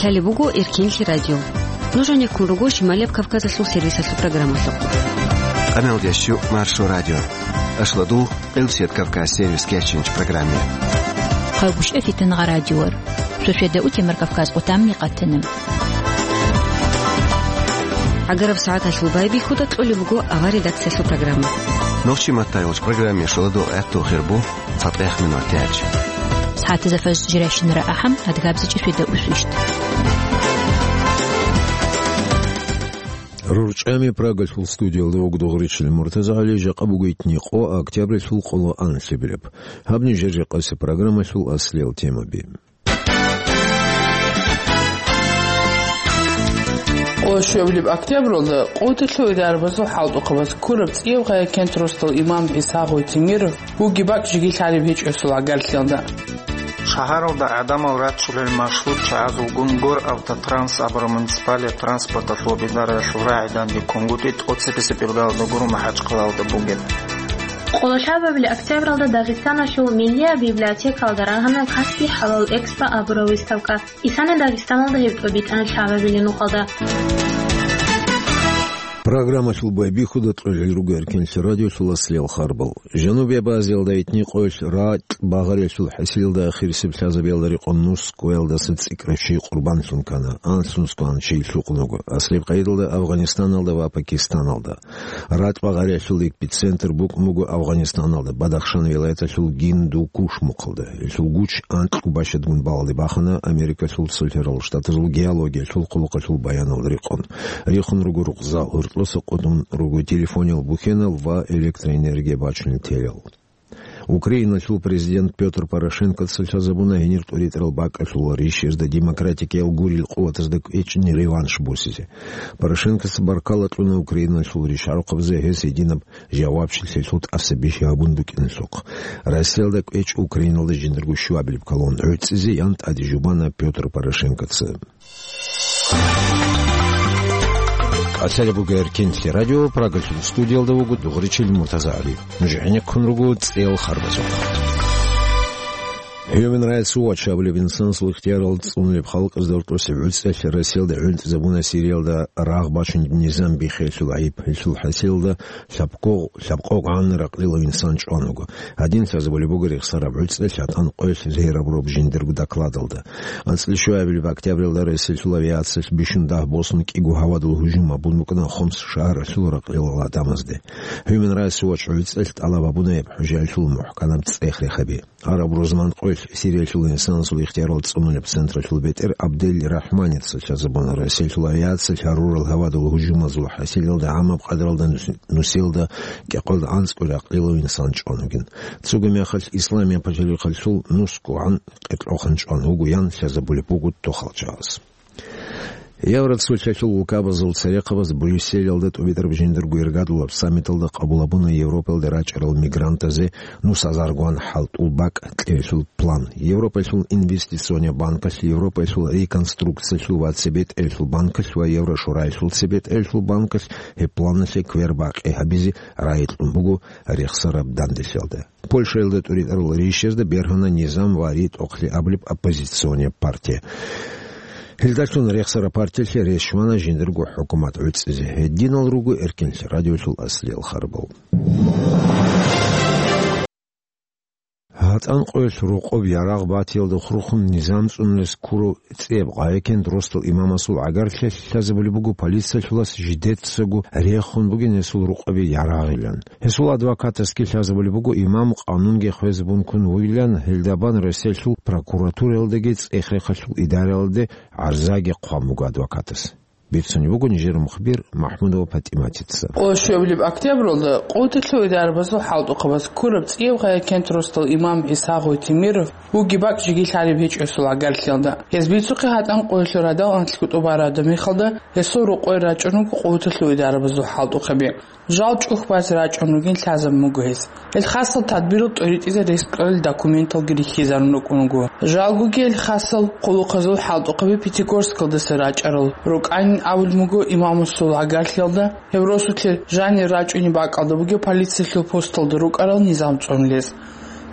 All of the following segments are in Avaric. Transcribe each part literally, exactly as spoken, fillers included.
Гьале буго Эркенлъи радио. Нуж гӀенеккун руго Шималияб Кавказалъул сервисалъул программалъухъ. Къамелдещу Маршо радио. Ашладул, Къилсият Кавказ сервис кечинч программе. Хъалгушев Фитнагъа радиор. Сосведа утемар Кавказ къутамни къатана. ГӀагараб сагӀаталъул байбихьуда кьолеб буго авар редакциялъул программа. Нохчи маттайолч программе шоладо гӀатту хирбу. Цадехъ минутач. СагӀатазда фажр жиращинара ахӀам, адгабзичӀи светаусвищ. РорчӀами Прагалъул студиялда вугдугъричил МуртазагӀали, жакъа бугойтни къо октябрилъул къоло анлъабилеб. Гьаб нижер жакъасеб программалъул аслиял темаби. Къо щуабилеб октябралда къотӀалъув идарабазул хӀалтӀухъабаз ккураб цӀияб гъая кент росдал имам ГӀиса Гъойтимиров вугеб бакӀ жеги лъалеб гьечӀосул гӀагарлъиялда. Шагьаралда гӀадамал рачулел маршрут чагӀазулгун Гор Автотранс абураб муниципалияб транспорталъул бидаралъул рагӀи данде ккунгутӀи тӀоцебесеб иргалда гуро МахӀачхъалалда бугеб. Къоло лъабабилеб октябралда Дагъистаналъул Миллияб библиотекалда рагьана Каспий хӀалал экспо абураб выставка. Исана Дагъистаналда гьеб тӀобитӀана лъабабилеб нухалда. Программалъул байбихьуда кьолел руго Эркенлъи радиолъул аслиял харбал. Жанубияб Азиялда итни къоялъ ракь багъаралъул хӀасилалда ахирисеб лъазабиялда рекъон нус ккоялдаса цӀикӀкӀараб щий къурбанлъун ккана, анлънусго ан чей лъукъун вуго, аслияб къайдалда Афганистаналда ва Пакистаналда. Ракь багъаралъул эпицентр букӀун буго Афганистаналда, Бадахшан вилаяталъул Гиндукуш мухъалда. Гьелъул гуч анкьго бащадгун балалде бахана Америкалъул Цолъарал Штатазул геологиялъул хъулухъалъул баяналда рекъон. Рихун руго рукъзал, гьоркьоса къотӀун руго телефониял бухьенал ва электроэнергия бачунел телал. Украиналъул президент Пётр Порошенкоца лъазабуна гьенир тӀуритӀарал бакӀалъул ришерда демократикиял гурил къуватазда кӀвечӀни реванш босизе. Порошенкоца баркала кьуна Украиналъул ришгӀарухъабазе гьес гьединаб жавабчилъиялъул тӀаса бихьи гьабун букӀиналъухъ. Россиялда кӀвечӀ Украиналда жиндарго щуабилеб колонна гӀуцӀизе ян тӀаде жубана Пётр Порошенкоца. Къасалеб буго Эркенлъи радио, Прагалъул студиялда вуго дугъричил МуртазагӀали. Нуж гӀенеккун руго цӀел харбазухъ. Human Rights Watch абулеб инсанасул ихтиярал цӀунулеб халкъазда рокьосеб гӀуцӀелъ Россиялда гӀунтӀизабуна Сириялда рагъ бачунеб низам биххиялъул гӀайиб. Гьелъул хӀасилалда лъабкъо-, лъабкъо гӀанна ракълилав инсан чӀван вуго. Гьадин лъазабулеб буго рехсараб гӀуцӀелъ гьатӀан къоялъ зегьрабураб жиндирго докладалда. АнцӀила щуабилеб октябралда Россиялъул авиациялъ бищун дагь босун кӀиго гьавадул гьужум гьабун букӀана Хомс шагьаралъул ракълилал гӀадамазде. Human Rights Watch гӀуцӀелъ тӀалаб гьабуна гьеб хӀужаялъул мухӀканаб цӀех-рехаби. Гьараб рузман къоялъ Сириялъул инсанасул ихтиярал цӀунулеб централъул бетӀер Абдель Рахманица лъазабуна Россиялъул авиациялъ гьарурал гьавадул гьужумазул хӀасилалда гӀамаб къадралда нус-, нусилда кӀикъоялда анцӀго ракълилав инсан чӀван вугин. Цого мехалъ Исламияб пачалихъалъул нусгогӀан къеркьохъан чӀван вуго ян лъазабулеб буго тохал чагӀаз. Евроцолъалъул улкабазул церехъабаз Брюсселалда тӀубитӀараб жиндирго иргадулаб саммиталда къабул гьабуна Европалда рачӀарал мигрантазе нус азаргоан хӀалтӀул бакӀ кьеялъул план. Европалъул инвестиционный банкалъ, Европалъул реконструкциялъул ва цебетӀералъул банкалъ ва Еврошораялъул цебетӀералъул банкалъ гьеб планалъе квербакъи гьабизе рагӀи кьун буго рехсараб данделъиялда. Польшаялда тӀуритӀарал рейсерда бергьана низам ва ритӀухълъи абулеб оппозиционный партия. Гьелдалъун рехсараб партиялъе рес щвана жиндирго хӀукумат гӀуцӀизе. Гьединал руго Эркенлъи радиолъул аслиял харбал. ГьатӀан къоялъ рокъоб ярагъ батиялда хурхун низам цӀунулес ккурав цӀияб гъайикент росдал имамасул гӀагарлъиялъ лъазабулеб буго полициялъулас жидецаго рехун бугин гьесул рукъаби ярагъилан. Гьесул адвокатасги лъазабулеб буго имам къанунги хвезабун ккун вугилан, гьелдабан Россиялъул прокуратураялдаги цӀех-рехалъул идараялде гӀарзаги хъван буго адвокатас. Бицунеб буго нижер мухбир МахӀмудова ПатӀиматица. Къо щуабилеб октябралда къотӀалъув идарабазул хӀалтӀухъабаз ккураб цӀияб гъайикент росдал имам ГӀиса Гъойтимиров вугеб бакӀ жеги лъалеб гьечӀосул гӀагарлъиялда. Гьез бицухъе гьатӀан къоялъул радал анлъго тӀубараб мехалда гьесул рокъой рачӀун руго къотӀалъув идарабазул хӀалтӀухъаби. Жал чӀухь базе рачӀун ругин лъазабун буго гьес. Гьел хасал тадбирал тӀоритӀизе рес кьолел документалги рихьизарун рукӀун руго. Жалгоги гьел хасал хъулухъазул хӀалтӀухъаби Пятигорскалдаса рачӀарал рукӀанин абулеб буго имамасул гӀагарлъиялда, гьеб росулъе жанир рачӀунеб бакӀалда бугеб полициялъул посталда рукӀарал низам цӀунулез.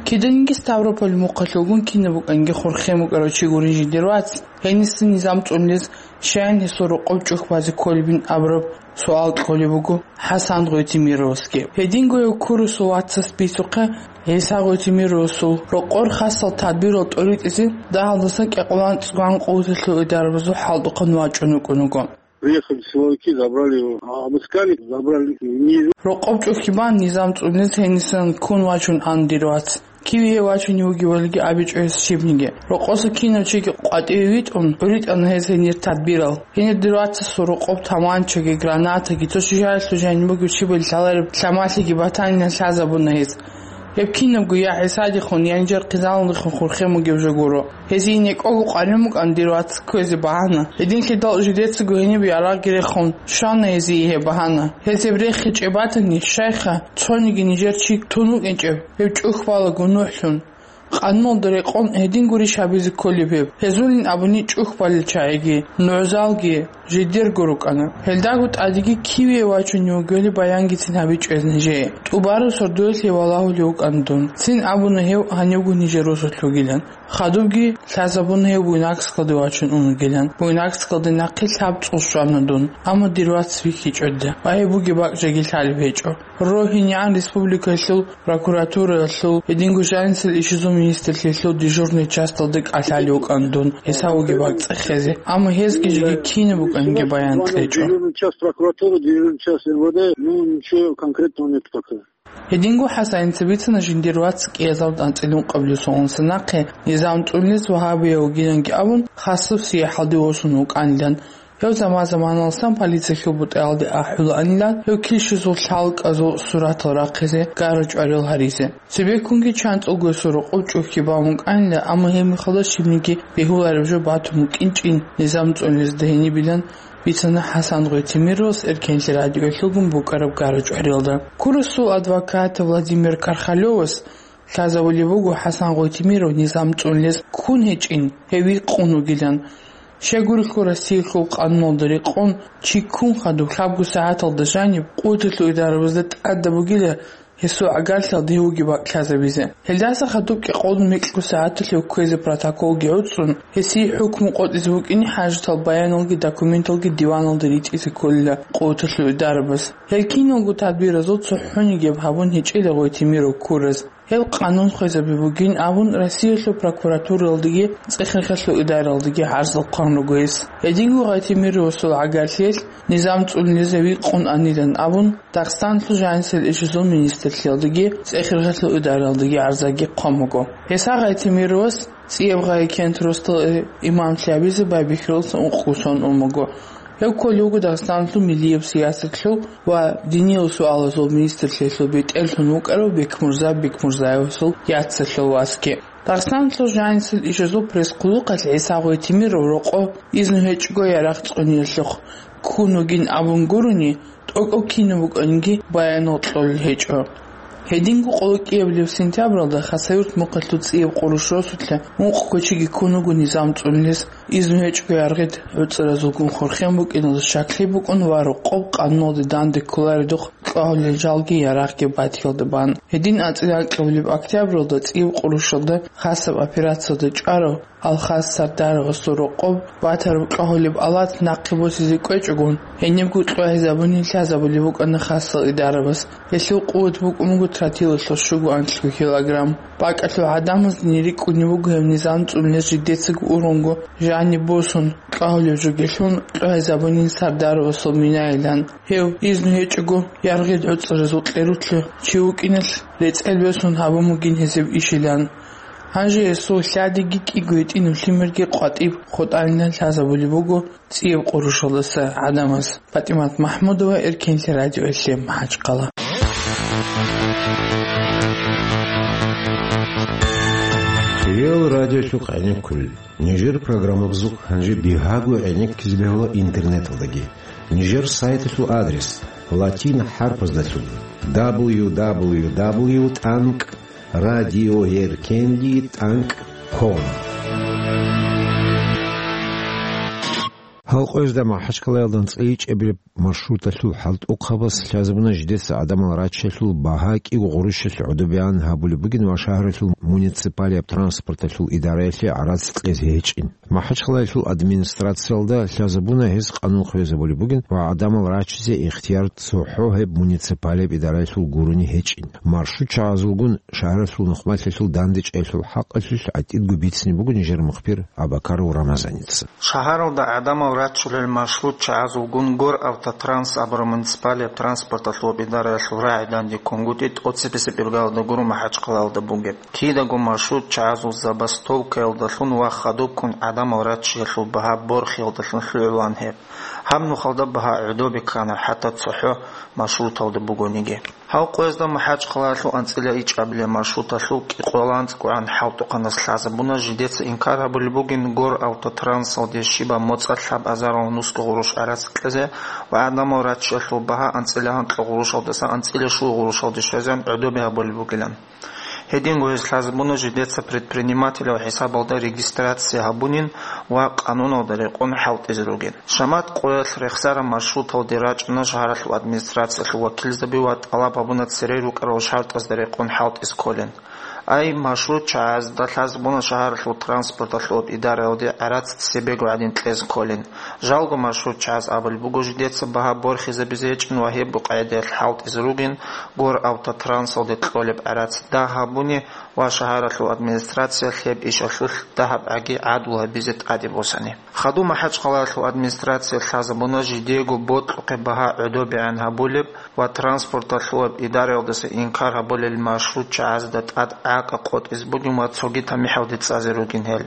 Киданиги Ставрополь мухъалъулгун кинаб букӀанги хурхен букӀарав чи гурин жиндир вац, гьениса низам цӀунилез щаян гьесул рокъоб чӀухь базе кколебин абураб суал кьолеб буго ХӀасан Гъойтимировасги. Гьединго гьев ккурусул вацас бицухъе, ГӀиса Гъойтимировасул рокъор хасал тадбирал тӀоритӀизе дагьалдасан кӀикъоялда анцӀго къуваталъул идарабазул хӀалтӀухъан вачӀун вукӀун вуго. Приехали силовики, забрали его. А, обыскали, забрали. Не Рокъоб чӀухь бан низам цӀунилез гьенисан ккун вачун ан дир вац. Киве гьев вачунев вугевалги абичӀо гьес щибниги. Рокъоса кинав чиги къватӀиве витӀун, гӀуритӀана гьез гьенир тадбирал. Гьенир дир вацасул рокъоб таманчаги, гранатаги, цо щиб жаниб бугеб щибали лъалареб лъамалъиги батанилан лъазабуна гьез. Гьеб кинабго я ГӀисадехун, я нижер хъизаналдехун хурхен бугеб жо гуро. Гьезие некӀого къваригӀун букӀана дир вац кквезе багьана. Гьединлъидал жидецаго гьениб ярагъги рехун, щвана гьезие гьеб багьана. Гьез гьеб рехичӀеб батани, щайха, цониги нижер чи тун вукӀинчӀеб, гьев чӀухь балаго нугӀлъун. Къануналда рекъон гьедин гурищ гьабизе кколеб гьеб? Гьезулин абуни чӀухь балел чагӀиги, нугӀзалги жидерго рукӀана. Гьелдаго тӀадеги киве вачунев вугевали баянгицин гьабичӀо гьез нижее. ТӀубараб сордоялъе валагьулев вукӀана дун. Цин абуна гьев гьанивго нижер росулъ вугилан. Хадубги лъазабуна гьев Буйнакскалде вачун ун вугилан. Буйнакскалде нахъе лъабцӀул щвана дун, амма дир вац вихьичӀо дида, ва гьеб бугеб бакӀ жеги лъалеб гьечӀо. РогьинегӀан республикалъул прокуратураялъул гьединго жанисел ишазул министрлъиялъул дежурный часталде кӀалъалев вукӀана дун гьесда бугеб бакӀ цӀехезе, амма гьезги жеги кинаб букӀанги баян кьечӀо. Дежурный част прокуратуры, дежурный част МВД, ну, ничего конкретного нет пока. Гьединго ХӀасаница бицана жиндир вац кӀиазаб анцӀила ункъабилеб соналдаса нахъе низам цӀунилез вагьабияв вугиланги абун, хасаб сияхӀалде восун вукӀанилан. Гьев заман-заманалдасан полициялъул бутӀаялде ахӀулаанилан, гьев килщизул лъалкӀазул суратал рахъизе, гара-чӀварал гьаризе. Цебеккунги чанцӀулго гьесул рокъоб чӀухь бан букӀанила, амма гьеб мехалда щибниги бегьулареб жо батун букӀинчӀин низам цӀунилезда гьенибилан бицана ХӀасан Гъойтимировас Эркенлъи радиоялъулгун букӀараб гара-чӀваралда. Курусул адвокат Владимир Кархалёвас лъазабулеб буго ХӀасан Гъойтимиров низам цӀунилез ккун гьечӀин, гьев вихъун вугилан. Щайгурелъул Россиялъул къануналда рекъон, чи ккун хадуб лъабго сагӀаталда жаниб къуваталъул идарабазда тӀадаб бугила гьесул гӀагарлъиялда гьев вугеб бакӀ лъазабизе. Гьелдаса хадуб кӀикъоялда микьго сагӀаталъ гьев кквезе протоколги гӀуцӀун, гьесие хӀукму къотӀизе букӀине хӀажатал баяналги документалги диваналда ритӀизе кколила къуваталъул идарабаз. Гьел киналго тадбиразул цохӀониги гьеб гьабун гьечӀила Гъойтимиров ккураз. Гьел къанун хвезаби бугин абун, Россиялъул прокуратуралдаги ЦӀехирхелъул идаралдаги гӀарзал хъван руго гьес. Гьединго Гъойтимировасул гӀагарлъиялъ низам цӀунилез вихъун анилан абун, Дагъистаналъул жанисел ишазул министрлъиялдаги ЦӀехирхелъул идаралдаги гӀарзаги хъван буго. Гьесда Гъойтимировас ЦӀияб гъай кент росдал имамлъи гьабизе байбихьуласан ункъго сон ун буго. Гьев кколев вуго Дагъистаналъул миллияб сиясатлъул ва диниял суалазул министрлъиялъул бетӀерлъун вукӀарав Бекмурза Бекмурзаевасул яцалъул васги. Дагъистаналъул жанисел ишазул пресс-хъулухъалъ ГӀиса Гъойтимиров рокъо изну гьечӀого ярагъ цӀуниялъухъ ккун вугин абун гурони, тӀокӀав кинаб букӀанги баянал кьолел гьечӀо. Гьединго къоло кӀиабилеб сентябралда Хасавюрт мухъалъул ЦӀияб Къурущ росулъа ункъго чиги ккун вуго низам цӀунилез, изну гьечӀого яргъид гӀуцӀаразулгун хурхен букӀиналда щаклъи букӀун ва рокъоб къануналде данде кколаредухъ кьвагьулел жалги ярагъги батиялда бан. Гьедин анцӀила анкьабилеб октябралда ЦӀияб Къурущалда хасаб операциялда чӀварав Алхас Сардаровасул рокъоб батараб кьвагьулеб алат нахъе босизе кӀвечӀогун, гьенибго кьвагьизабунин лъазабулеб букӀана хасал идарабаз. Гьелъул къуват букӀун буго тротилалъул щуго анлъго килограмм. БакӀалъул гӀадамазда рикӀкӀунеб буго гьеб низам цӀунилез жидецаго ургъунго жаниб босун, кьвагьулеб жо гьелъун кьвагьизабунин Сардаровасул минайилан. Гьев изну гьечӀого яргъид гӀуцӀаразул кьерутлъи чи вукӀиналъ рецӀел босун гьабун бугин гьезул ишилан. Гьанже гьесул лъадиги кӀиго гьитӀинаб лъимерги къватӀиб хутӀанилан лъазабулеб буго ЦӀияб Къурущалдаса гӀадамаз. ПатӀимат МахӀмудова, Эркенлъи радиоялъе, МахӀачхъала. Хириял радиолъухъ гӀенеккулел. Нижер программабазухъ гьанже бигьаго гӀенеккизе бегьула интернеталдаги. Нижер сайталъул адрес: латин хӀарпаздалъун: дабл ю дабл ю дабл ю тӀанкӀ радиоеркенлъи тӀанкӀ ком. Гьал къоязда МахӀачкъалаялда анцӀила ичӀабилеб маршруталъул хӀалтӀухъабаз лъазабуна жидеца гӀадамал раччалъул багьа кӀиго гъурущалъ гӀодобегӀан гьабулеб бугин ва шагьаралъул муниципалияб транспорталъул идараялъе гӀарац кьезе гьечӀин. МахӀачкъалаялъул администрациялда лъазабуна гьез къанун хвезабулеб бугин ва гӀадамал раччизе ихтияр цохӀо гьеб муниципалияб идараялъул гурони гьечӀин. МаршрутчагӀазулгун шагьаралъул нухмалъалъул дандечӀеялъул хӀакъалъулъ гӀатӀидго бицине буго нижер мухбир Абакаров Рамазаница. Шагьаралда гӀадамал раччулел маршрутчагӀазулгун Гор Автотранс абураб муниципалияб транспорталъул идараялъул рагӀи дандеккунгутӀи тӀоцебесеб иргалда гуро МахӀачкъалаялда бугеб. Кидаго маршрутчагӀазул забастовкаялдалъун ва хадубккун гӀадамал раччиялъул багьа борхиялдалъун лъугӀулаан гьеб. Гьаб нухалда багьа гӀодобе ккана, хӀатта цохӀо маршруталда бугониги. Гьав къоязда МахӀачкъалаялъул анцӀила ичӀабилеб маршруталъул кӀикъоялда анцӀгогӀан хӀалтӀухъанас лъазабуна жидеца инкар гьабулеб бугин Гор Автотрансалде щибаб моцӀалъ гьаб азарал нусго гъурущ гӀарац кьезе ва гӀадамал раччиялъул багьа анцӀила гьанкьа гъурущалдаса анцӀила щуго гъурущалде щвезегӀан гӀодобе гьабулеб бугилан. Гьединго гьез лъазабуна жидеца предпринимателяв хӀисабалда регистрация гьабунин ва къануналда рекъон хӀалтӀизе ругин. Шамат къоялъ рехсараб маршруталде рачӀуна шагьаралъул администрациялъул вакилзаби ва тӀалаб гьабуна цере рукӀарал шартӀазда рекъон хӀалтӀизе кколин. Ай, маршрутчагӀазда лъазабуна шагьаралъул транспорталъул идараялде гӀарац цебего гӀадин кьезе кколин. Жалго маршрутчагӀаз абулеб буго жидеца багьа борхизабизе гьечӀин ва гьебго къагӀидаялъ хӀалтӀизе ругин, Гор Автотрансалде кьолеб гӀарац дагь гьабуни ва шагьаралъул администрациялъ гьеб ишалъулъ дагьаб гӀаги гӀадлу гьабизе тӀаде босани. Хадуб МахӀачкъалаялъул администрация лъазабуна жидего бокьухъе багьа гӀодобегӀан гьабулеб ва транспорталъул идараялдаса инкар гьабулел маршрутчагӀазда тӀад гӀакъа къотӀизе бугин ва цоги тамихӀалде цӀазе ругин гьел.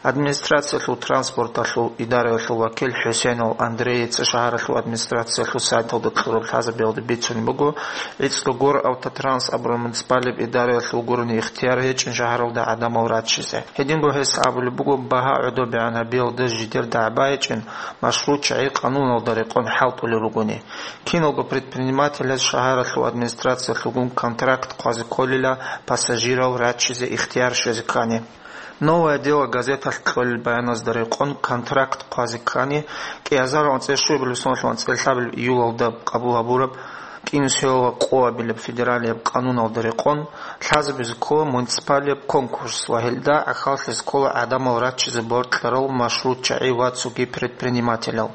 Администрациялъул транспорталъул идараялъул вакил ХӀусейнов Андрейица шагьаралъул администрациялъул сайталда кьураб лъазабиялда бицунеб буго, гӀицӀго Гор Автотранс абураб муниципалияб идараялъул гурони ихтияр гьечӀин шагьаралда гӀадамал раччизе. Гьединго гьес абулеб буго, багьа гӀодобегӀан гьабиялда жидер дагӀба гьечӀин, маршрутчагӀи къануналда рекъон хӀалтӀулел ругони. Киналго предпринимателяз шагьаралъул администрациялъулгун контракт хъвазе кколила пассажирал раччизе ихтияр щвезе ккани. «Новое дело» газеталъ кьолел баяназда рекъон контракт хъвазе ккани, кӀиазарал анцӀила щуабилеб соналъул анцӀила лъабабилеб июлалда къабул гьабураб, кӀинусиялда къоабилеб федералияб къануналда рекъон, лъазабизе ккола муниципалияб конкурс ва гьелда гӀахьаллъизе ккола гӀадамал раччизе бокьарал маршрутчагӀи ва цоги предпринимателал.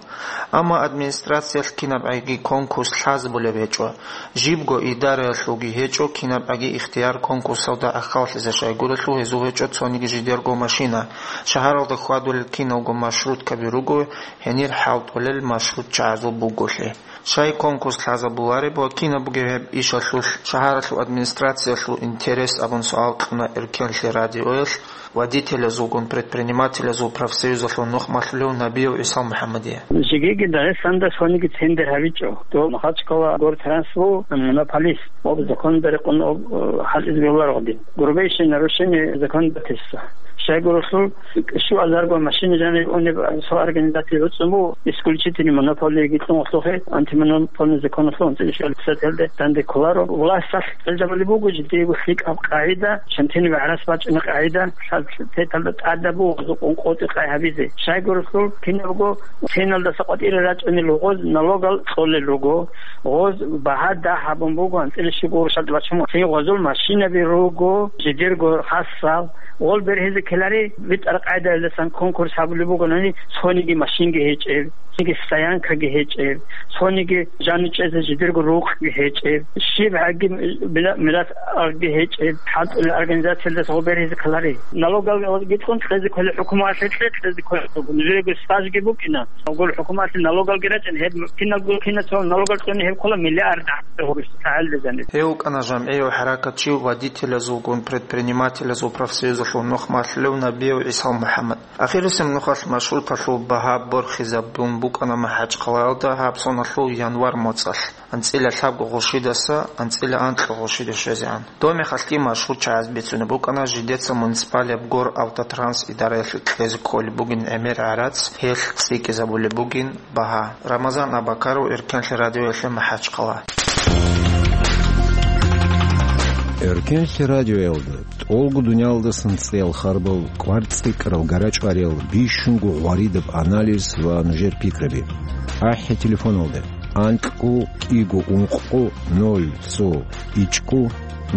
Амма администрациялъ кинабгӀаги конкурс лъазабулеб гьечӀо. Жибго идараялъулги гьечӀо кинабгӀаги ихтияр конкурсалда гӀахьаллъизе, щайгурелъул гьезул гьечӀо цониги жидерго машина. Шагьаралда хьвадулел киналго маршруткаби руго, гьенир хӀалтӀулел маршрутчагӀазул бугони. Щай конкурс лъазабулареб ва кинаб бугеб гьеб ишалъулъ шагьаралъул администрациялъул интерес абун суал кьуна Эркенлъи радиоялъ водителазулгун предпринимателазул профсоюзалъул нухмалъулев Набиев ГӀисал МухӀаммадие. Жегиги Дагъистанда цониги тендер гьабичӀо. Дов Махачкала гортранс ву монополист. Об законда рекъон об, э, хӀалтӀизе бегьуларо гъодин. Грубейшее нарушение законодательства. Щайгурелъул щуазарго машина жаниб унеб цо организация гьуцӀун буго, исключительный монополиги кьун вахлухъе, антимонопольный законалъул анцӀила щуабилеб статьялде данде кколаро. Власталъ кьелзабулеб буго жидеего лъикӀаб къагӀида, чантинаб гӀарац бачӀунеб къагӀида, лъаб-, теталда тӀадаб буго гъозухъун къотӀи-къай гьабизе. Щайгурелъул кинабго ценалдаса къватӀире рачӀунел гъоз налогал кьолел руго, гъоз багьа дагь гьабун буго, анцӀила щуго гъурущалда бачун буго. Цин гъозул машинаби руго, жидерго хасал, гъол бергьизе ккелари, битӀараб къагӀидаялдасан конкурс гьабулеб бугони, цониги машинги гьечӀеб, цинги стоянкаги гьечӀеб, цониги жанив чӀезе жидерго рукъги гьечӀеб, щибгӀаги мила-, мирас агги гьечӀеб, хӀалтӀулел организациялдаса гъол бергьизе ккелари. Налогал гьикъун кьезе кколел хӀукуматалъе, кьезе кколел, нужеего стажги букӀина. Гъол хӀукуматалъе налогалги рачӀина, гьеб киналго кинацо налогал кьуни гьеб ккола миллиард гӀахьалда гъурущ гьалда жаниб. Гьев вукӀана жамгӀияв хӀаракатчи, водителазулгун предпринимателазул профсоюзалъул нухмалъулев Набиев ГӀисал МухӀаммад. Ахирисеб нухалъ маршруталъул багьа борхизабун букӀана МахӀачкъалаялда гьаб соналъул январь моцӀалъ, анцӀила лъабго гъурщидаса анцӀила анкьа гъурщиде щвезегӀан. Доб мехалъги маршрутчагӀаз бицунеб букӀана жидеца муниципалияб Гор Автотранс идараялъе кьезе кколеб бугин гӀемер гӀарац, гьелъ цӀикӀкӀизабулеб бугин багьа. Рамазан Абакаров, Эркенлъи радиоялъе, МахӀачкъала. Эркенлъи радиоялда тӀолго дуниялдасан цӀеял харбал, кӀвар цӀикӀкӀарал гарачӀвариял, бищунго гъваридаб анализ ва нужер пикраби. АхӀи телефоналда: анкьго кӀиго ункъго ноль цо ичӀго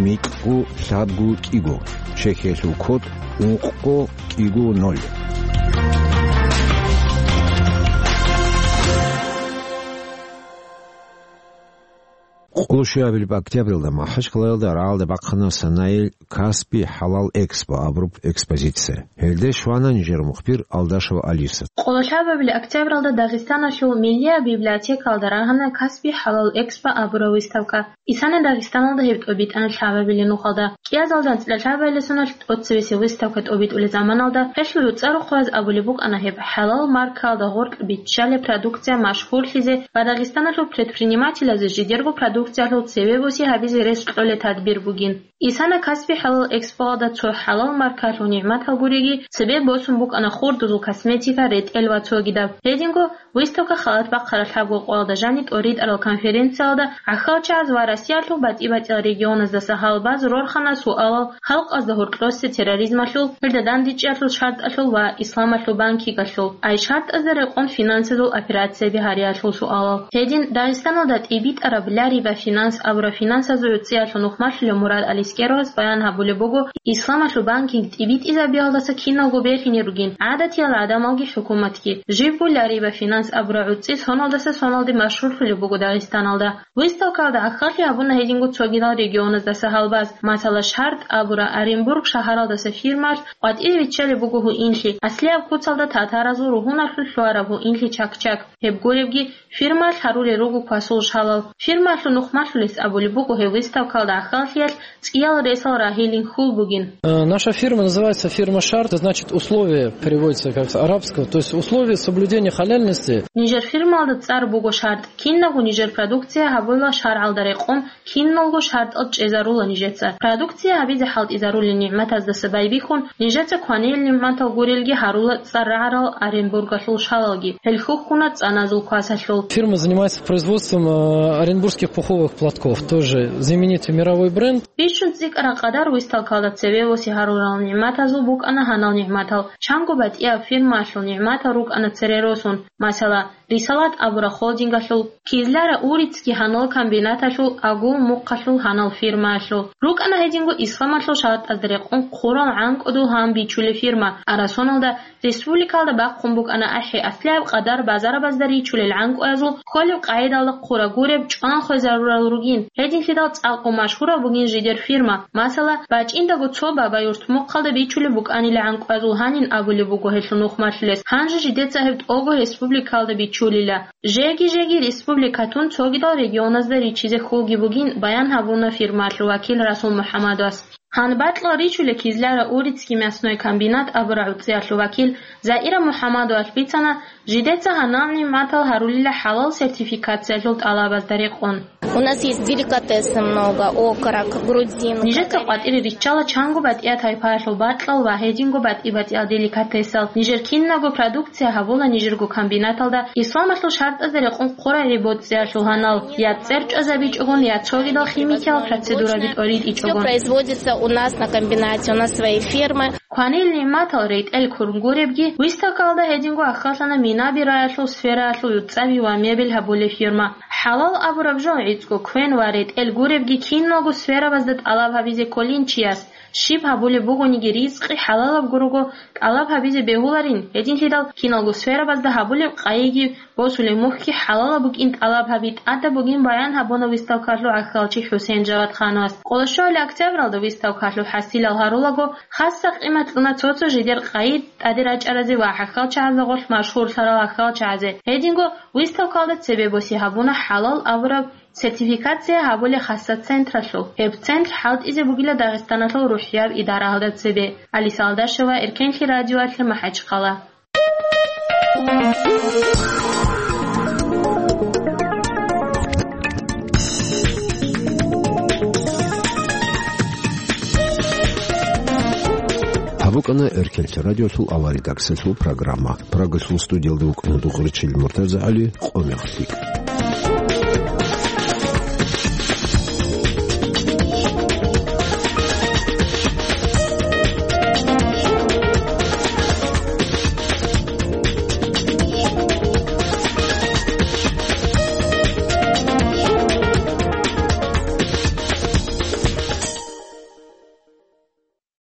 микьго лъабго кӀиго, чехьиялъул код ункъго кӀиго ноль. Къоло щуабилеб октябралда МахӀачхъалаялда рагӀалда бахъана санайил «Каспи хӀалал экспо» абураб экспозиция. Гьелде щвана нижер мухбир Алдашева Алиса. Къоло лъабабилеб октябралда Дагъистаналъул Миллияб библиотекалда рагьана «Каспи хӀалал экспо» абураб выставка. Исана Дагъистаналда гьеб тӀобитӀана лъабабилеб нухалда. КӀиазалда анцӀила лъабабилеб соналъ тӀоцебесеб выставка тӀобитӀулеб заманалда гьелъул гӀуцӀа рохъояз абулеб букӀана гьеб хӀалал маркаялда гъоркь биччалеб продукция машгьурлъизе ва Дагъистаналъул предпринимателазе жидерго продукциялъул цебе боси гьабизе рес кьолеб тадбир бугин. Исана «Каспи хӀалал экспоялда» цо хӀалал маркаялъул нигӀматал гуриги, цебе босун букӀана хурдузул косметика, ретӀел ва цогидаб. Гьединго выставка халат бахъараб лъабго къоялда жаниб тӀоритӀарал конференциялда гӀахьалчагӀаз ва Россиялъул батӀи-батӀиял регионаздаса гьалбаз рорхана суалал халкъазда гьоркьосе терроризмалъул, гьелда дандечӀиялъул шартӀалъул ва исламалъул банкингалъул, ай шартӀазда рекъон финансазул операцияби гьариялъул суалал. Гьедин Дагъистаналда тӀибитӀараб Лари ва финанс абураб финансазул гӀуцӀиялъул нухмалъулев Мурад Алискеровас баян гьабулеб буго, исламалъул банкинг тӀибитӀизабиялдаса киналго берлъине ругин гӀадатиял гӀадамалги хӀукуматги. Жибго Лари ва финанс абураб гӀуцӀи соналдаса соналде машгьурлъулеб буго Дагъистаналда. Выставкаялда гӀахьаллъи гьабуна гьединго цогидал регионаздаса гьалбаз. Масала, шартӀ абураб Оренбург шагьаралдаса фирмаялъ къватӀире виччалеб буго гьуинлъи, аслияб куцалда татаразул ругьуналъул лъугьараб гьуинлъи чак-чак. Гьеб гуребги, фирмаялъ гьарулел руго квасул шалал. Фирмаялъул нухмалъулес абулеб буго гьеб выставкаялда гӀахьаллъиялъ цӀиял ресал рагьилин хьул бугин. Э, наша фирма называется фирма «Шарт», это значит условия, переводится как с арабского, то есть условия соблюдения халяльности. Нижер фирмаялда цӀар буго «Шарт». Кинабго нижер продукция гьабула шаргӀалда рекъон, киналго шартӀал чӀезарула нижеца. Продукция гьабизе хӀалтӀизарулел нигӀматаздаса байбихьун, нижеца кванил нигӀматал гурелги гьарула цӀар рагӀарал Оренбургалъул шалалги. Гьел хьухьуна цӀаназул квасалъул. Фирма занимается производством, э, оренбургских пуховых платков, тоже знаменитый мировой бренд. Бищун цӀикӀкӀараб къадар выставкаялда цебе боси гьарурал нигӀматазул букӀана гьанал нигӀматал. Чанго батӀияб фирмаялъул нигӀматал рукӀана цере росун. Масала, Рисалат абураб холдингалъул, Кизляра Урицкий гьанал комбинаталъул, Агул мухъалъул гьанал фирмаялъул. РукӀана гьединго исламалъул шартӀазда рекъон хъурал гӀанкӀудул гьан бичулеб фирма. Арасоналда республикаялда бахъун букӀана ахӀи аслияб къадар базарабазда ричулел гӀанкӀуязул, кколеб къагӀидалда хъура гуреб чӀван хвезарурал ругин. Гьединлъидал цӀакъго машгьураб бугин жидер фирма. Масала, бачӀиндаго цо Бабаюрт мухъалда бичулеб букӀанила гӀанкӀуязул гьанин абулеб буго гьелъул нухмалъулес, гьанже жидеца гьеб тӀого республикаялда бичулила. Жеги-жеги республикатун цогидал регионазда ричизе хьулги бугин, баян гьабуна фирмаялъул вакил Расул МухӀаммадовас. Гьанбакьал ричулеб Кизляра Урицкий мясной комбинат абураб гӀуцӀиялъул вакил Заира МухӀаммадовалъ бицана, жидеца гьанал нигӀматал гьарулила хӀалал сертификациялъул тӀалабазда рекъон. У нас есть деликатесы много, окорок, грудинка. Нижеца къватӀире риччала чанго батӀияб тайпаялъул бакьал ва гьединго батӀи-батӀиял деликатесал. Нижер кинабго продукция гьабула нижерго комбинаталда исламалъул шартӀазда рекъон хъура гӀибоцӀиялъул гьанал, я цӀер чӀвазабичӀогон, я цогидал химикиял процедураби тӀоритӀичӀогон. Всё производится у нас на комбинате, у нас свои фермы. Кванил нигӀматал ретӀел ккун гуребги, выставкаялда гьединго аххалъана минаби раялъул сфераялъул юцӀцӀаби ва мебель гьабулеб фирма. ХӀалал абураб жо гӀицӀго квен ва ретӀел гуребги киналго сферабазда тӀалаб гьабизе кколин чияс. Щиб гьабулеб бугониги ризкъи хӀалалаб гурого тӀалаб гьабизе бегьуларин, гьединлъидал киналго сферабазда гьабулеб къайиги босулеб мухьги хӀалалаб букӀин тӀалаб гьаби тӀадаб бугин баян гьабуна выставкалъул гӀахьалчи ХӀусен Жавадхановас. Къоло щуабилеб октябралда выставкалъул хӀасилал гьарулаго, хасса къимат кьуна цо-цо жидер къайи тӀаде рачӀаразе ва гӀахьалчагӀазда гъорлъ машгьурлъарал гӀахьалчагӀазе. Гьединго выставкалда цебе боси гьабуна хӀалал абураб сертификация гьабулеб хасса централъул. Гьеб центр хӀалтӀизе бугила Дагъистаналъул рухӀияб идараялда цебе. Алиса Алдашева, Эркенлъи радиоялъе, МахӀачхъала. Гьаб букӀана Эркенлъи радиолъул авал редакциялъул программа. Прагалъул студиялда вукӀана Дугъричил МуртазагӀали. Къо мехалъ.